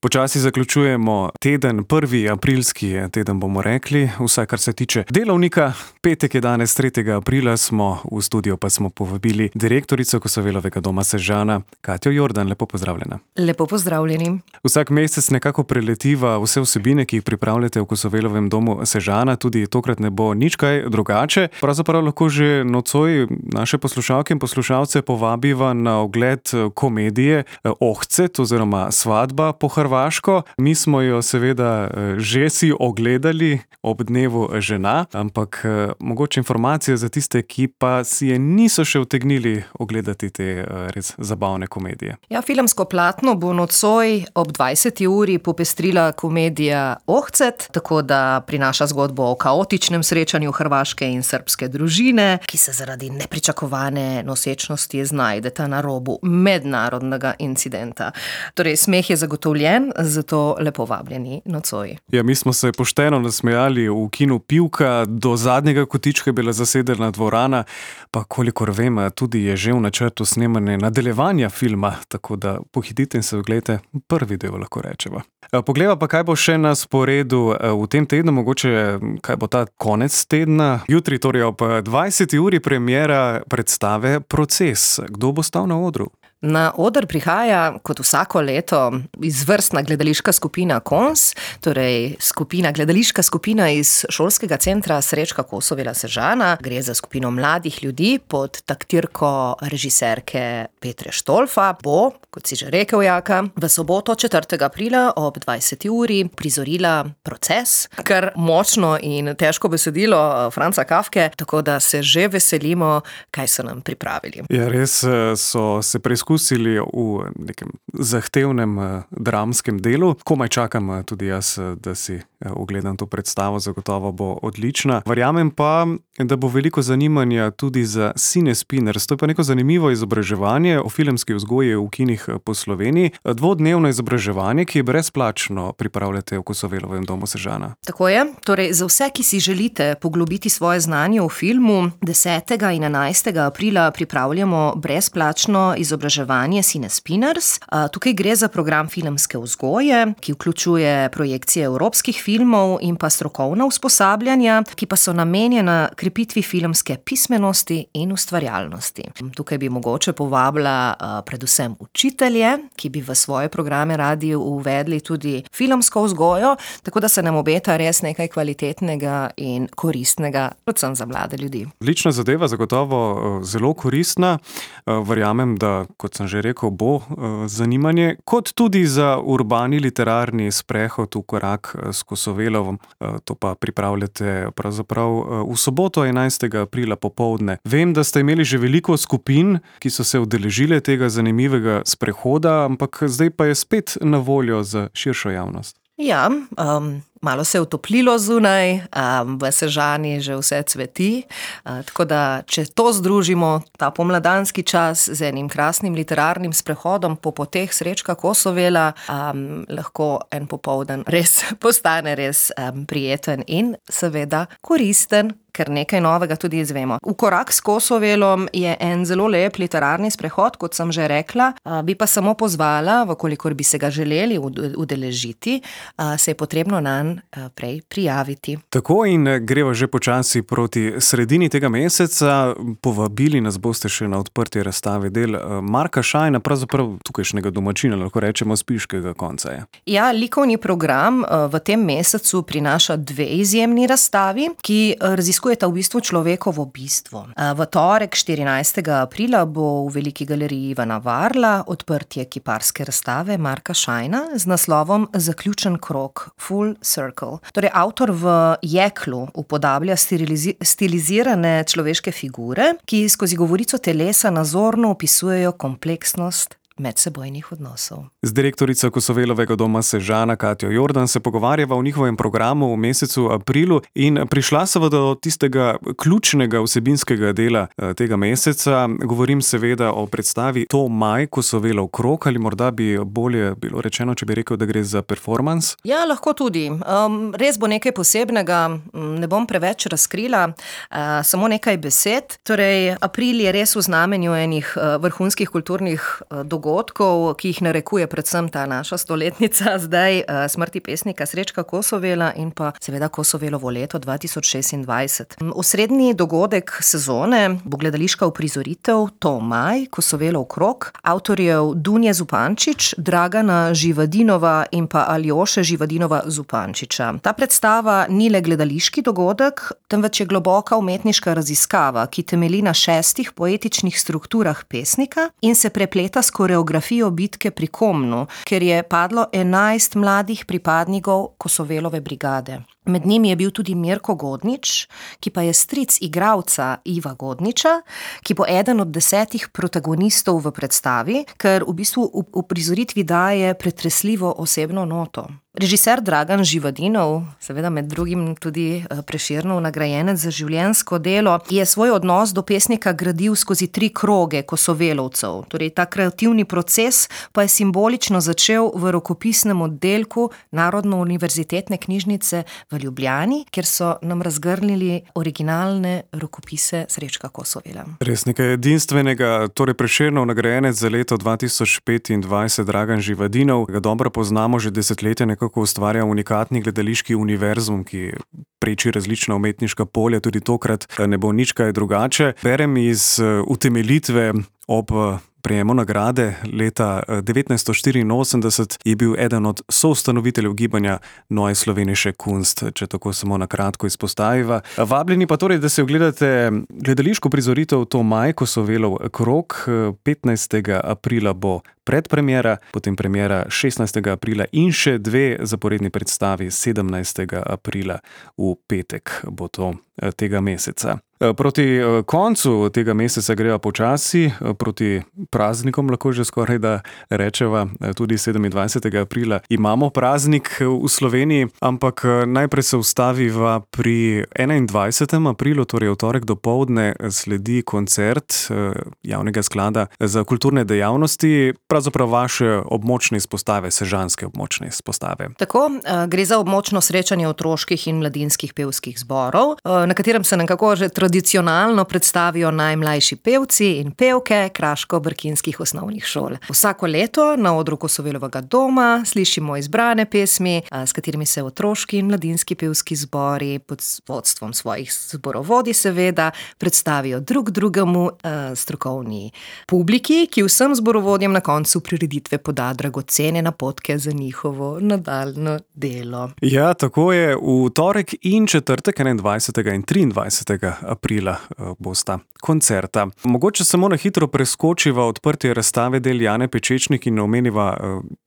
Počasi zaključujemo teden, 1. aprilski teden bomo rekli, vsaj kar se tiče delovnika. Petek je danes, 3. aprila smo, v studio pa smo povabili direktorico Kosovelovega doma Sežana, Katjo Jordan. Lepo pozdravljena. Lepo pozdravljeni. Vsak mesec nekako preletiva vse vsebine, ki jih pripravljate v Kosovelovem domu Sežana, tudi tokrat ne bo nič kaj drugače. Pravzaprav lahko že nocoj naše poslušalke in poslušalce povabiva na ogled komedije Ohcet oziroma Svadba po hrvaško. Mi smo jo seveda že si ogledali ob dnevu žena, ampak mogoče informacije za tiste, ki pa si je niso še utegnili ogledati te res zabavne komedije. Ja, filmsko platno bo nocoj ob 20. uri popestrila komedija Ohcet, tako da prinaša zgodbo o kaotičnem srečanju hrvaške in srbske družine, ki se zaradi nepričakovane nosečnosti znajdeta na robu mednarodnega incidenta. Torej, smeh je zagotovljen, zato lepo vabljeni nocoj. Ja, mi smo se pošteno nasmejali v kinu Pivka, do zadnjega kotička je bila zasedena dvorana, pa kolikor vem, tudi je že v načrtu snemanje nadaljevanja filma, tako da pohitite in se oglejte prvi del, lahko rečeva. Poglejva pa, kaj bo še na sporedu v tem tednu, mogoče kaj bo ta konec tedna. Jutri, torej ob 20. uri premiera predstave Proces. Kdo bo stal na odru? Na oder prihaja, kot vsako leto, izvrstna gledališka skupina KONS, torej gledališka skupina iz šolskega centra Srečka Kosovela Sežana. Gre za skupino mladih ljudi pod taktirko režiserke Petre Štolfa. Bo, kot si že rekel, Jaka, v soboto 4. aprila ob 20. uri prizorila Proces, kar močno in težko besedilo Franca Kafke, tako da se že veselimo, kaj so nam pripravili. Ja, res so se preizkusili v nekem zahtevnem dramskem delu. Komaj čakam tudi jaz, da si ogledam to predstavo, zagotovo bo odlična. Verjamem pa, da bo veliko zanimanja tudi za Cine Spinners. To je pa neko zanimivo izobraževanje o filmski vzgoji v kinih po Sloveniji. Dvodnevno izobraževanje, ki je brezplačno, pripravljate v Kosovelovem domu Sežana. Tako je. Torej, za vse, ki si želite poglobiti svoje znanje v filmu, 10. in 11. aprila pripravljamo brezplačno izobraževanje Cine Spinners. Tukaj gre za program filmske vzgoje, ki vključuje projekcije evropskih filmov in pa strokovna usposabljanja, ki pa so namenjena krepitvi filmske pismenosti in ustvarjalnosti. Tukaj bi mogoče povabila predvsem učitelje, ki bi v svoje programe radi uvedli tudi filmsko vzgojo, tako da se nam obeta res nekaj kvalitetnega in koristnega, predvsem za mlade ljudi. Odlična zadeva, zagotovo zelo koristna. Verjamem, da, kot sem že rekel, bo zanimanje, kot tudi za urbani literarni sprehod v korak s Kosovelovom. To pa pripravljate pravzaprav v soboto 11. aprila popoldne. Vem, da ste imeli že veliko skupin, ki so se udeležile tega zanimivega sprehoda, ampak zdaj pa je spet na voljo za širšo javnost. Ja, malo se je utoplilo zunaj, v Sežani že vse cveti, tako da če to združimo, ta pomladanski čas z enim krasnim literarnim sprehodom po poteh Srečka Kosovela, lahko en popoldan res postane res prijeten in seveda koristen, ker nekaj novega tudi izvemo. V korak s Kosovelom je en zelo lep literarni sprehod, kot sem že rekla, bi pa samo pozvala, vkolikor bi se ga želeli udeležiti, se je potrebno nanj prej prijaviti. Tako, in greva že počasi proti sredini tega meseca. Povabili nas boste še na odprtje razstave del Marka Šajna, pravzaprav tukajšnjega domačina, lahko rečemo spiškega konca. Ja, likovni program v tem mesecu prinaša 2 izjemni razstavi, ki raziskujeta v bistvu človekovo bistvo. V torek 14. aprila bo v Veliki galeriji Ivana Varla odprtje kiparske razstave Marka Šajna z naslovom Zaključen krog, Full Circle. Torej, avtor v jeklu upodablja stilizirane človeške figure, ki skozi govorico telesa nazorno opisujejo kompleksnost medsebojnih odnosov. Z direktorico Kosovelovega doma Sežana Katjo Jordan se pogovarjava o njihovem programu v mesecu aprilu in prišla se do tistega ključnega vsebinskega dela tega meseca. Govorim seveda o predstavi To maj, Kosovelov krog, ali morda bi bolje bilo rečeno, če bi rekel, da gre za performans? Ja, lahko tudi. Res bo nekaj posebnega, ne bom preveč razkrila, samo nekaj besed. Torej, april je res v znamenju enih vrhunskih kulturnih dogodkov, dogodkov, ki jih narekuje predvsem ta naša stoletnica zdaj, smrti pesnika Srečka Kosovela in pa seveda Kosovelovo leto 2026. Osrednji dogodek sezone bo gledališka uprizoritev To maj, Kosovelov krog, avtorjev Dunje Zupančič, Dragana Živadinova in pa Aljoše Živadinova Zupančiča. Ta predstava ni le gledališki dogodek, temveč je globoka umetniška raziskava, ki temelji na 6 poetičnih strukturah pesnika in se prepleta s koreografijo bitke pri Komnu, ker je padlo 11 mladih pripadnikov Kosovelove brigade. Med njimi je bil tudi Mirko Godnič, ki pa je stric igralca Iva Godniča, ki bo eden od 10 protagonistov v predstavi, ker v bistvu v uprizoritvi daje pretresljivo osebno noto. Režiser Dragan Živadinov, seveda med drugim tudi Prešernov nagrajenec za življenjsko delo, je svoj odnos do pesnika gradil skozi 3 kroge kosovelovcev. Torej, ta kreativni proces pa je simbolično začel v rokopisnem oddelku Narodno-univerzitetne knjižnice v Ljubljani, kjer so nam razgrnili originalne rokopise Srečka Kosovela. Res nekaj edinstvenega, torej Prešernov nagrajenec za leto 2025 Dragan Živadinov, ga dobro poznamo že desetletja, kako ustvarja unikatni gledališki univerzum, ki preči različna umetniška polja, tudi tokrat ne bo nič kaj drugače. Berem iz utemeljitve ob prejemu nagrade leta 1984 je bil eden od soustanoviteljev gibanja Neue Slovenische Kunst, če tako samo na kratko izpostaviva. Vabljeni pa torej, da se ogledate gledališko prizoritev To maj, Kosovelov krog. 15. aprila bo predpremiera, potem premiera 16. aprila in še 2 zaporedni predstavi 17. aprila v petek bo to tega meseca. Proti koncu tega meseca greva počasi, proti praznikom lahko že skoraj da rečeva, tudi 27. aprila imamo praznik v Sloveniji, ampak najprej se ustaviva pri 21. aprilu, torej v torek dopoldne sledi koncert Javnega sklada za kulturne dejavnosti, pravzaprav vaše območne izpostave, sežanske območne izpostave. Tako, gre za območno srečanje otroških in mladinskih pevskih zborov, na katerem se nekako že tradicionalno predstavijo najmlajši pevci in pevke kraško-brkinskih osnovnih šol. Vsako leto na odru Kosovelovega doma slišimo izbrane pesmi, s katerimi se otroški in mladinski pevski zbori pod vodstvom svojih zborovodij seveda predstavijo drug drugemu strokovni publiki, ki vsem zborovodjem na koncu prireditve poda dragocene napotke za njihovo nadaljnje delo. Ja, tako je. V torek in četrtek 21. in 23. aprila bosta koncerta. Mogoče samo na hitro preskočiva odprtje razstave del Jane Pečečnik in omeniva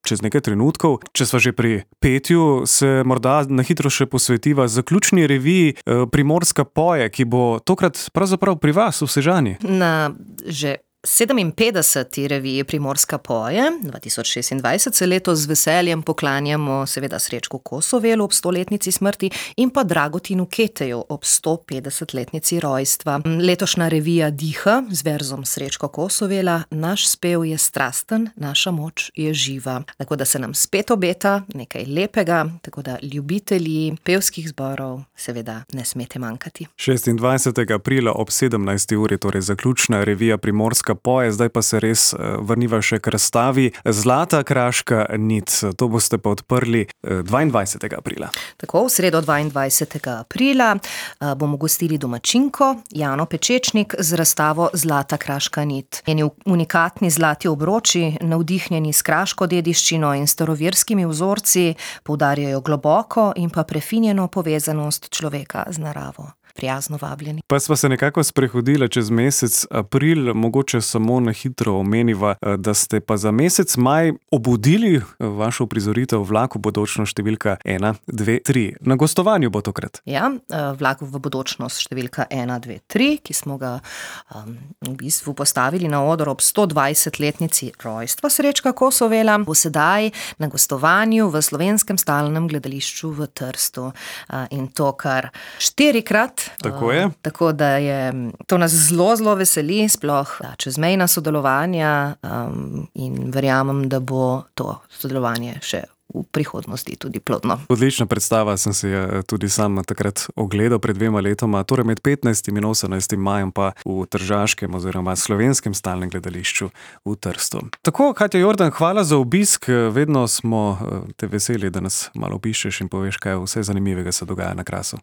čez nekaj trenutkov. Če sva že pri petju, se morda na hitro še posvetiva zaključni reviji Primorska poje, ki bo tokrat pravzaprav pri vas v Sežani. Na že 57. reviji Primorska poje 2026 se letos z veseljem poklanjamo seveda Srečku Kosovelu ob 100-letnici smrti in pa Dragotinu Keteju ob 150-letnici rojstva. Letošnja revija diha z verzom Srečka Kosovela: Naš spev je strasten, naša moč je živa. Tako da se nam spet obeta nekaj lepega, tako da ljubitelji pevskih zborov seveda ne smete manjkati. 26. aprila ob 17. uri, torej zaključna revija Primorska poje, zdaj pa se res vrniva še k razstavi Zlata kraška nit. To boste pa odprli 22. aprila. Tako, v sredo 22. aprila bomo gostili domačinko Jano Pečečnik z razstavo Zlata kraška nit. Njeni unikatni zlati obroči, navdihnjeni s kraško dediščino in staroverskimi vzorci, poudarjajo globoko in pa prefinjeno povezanost človeka z naravo. Prijazno vabljeni. Pa sva se nekako sprehodila čez mesec april, mogoče samo na hitro omeniva, da ste pa za mesec maj obudili vašo uprizoritev Vlak v bodočnost številka 1, 2, 3. Na gostovanju bo tokrat. Ja, Vlak v bodočnost številka 1, 2, 3, ki smo ga v bistvu postavili na oder ob 120-letnici rojstva Srečka Kosovela, bo sedaj na gostovanju v Slovenskem stalnem gledališču v Trstu. In to kar 4-krat. Tako je. Tako da to nas zelo, zelo veseli, sploh čezmejna sodelovanja in verjamem, da bo to sodelovanje še v prihodnosti tudi plodno. Odlična predstava, sem si tudi sam takrat ogledal pred 2 letoma, torej med 15. in 18. majem pa v Tržaškem oziroma Slovenskem stalnem gledališču v Trstu. Tako, Katja Jordan, hvala za obisk, vedno smo te veseli, da nas malo obiščeš in poveš, kaj vse zanimivega se dogaja na Krasu.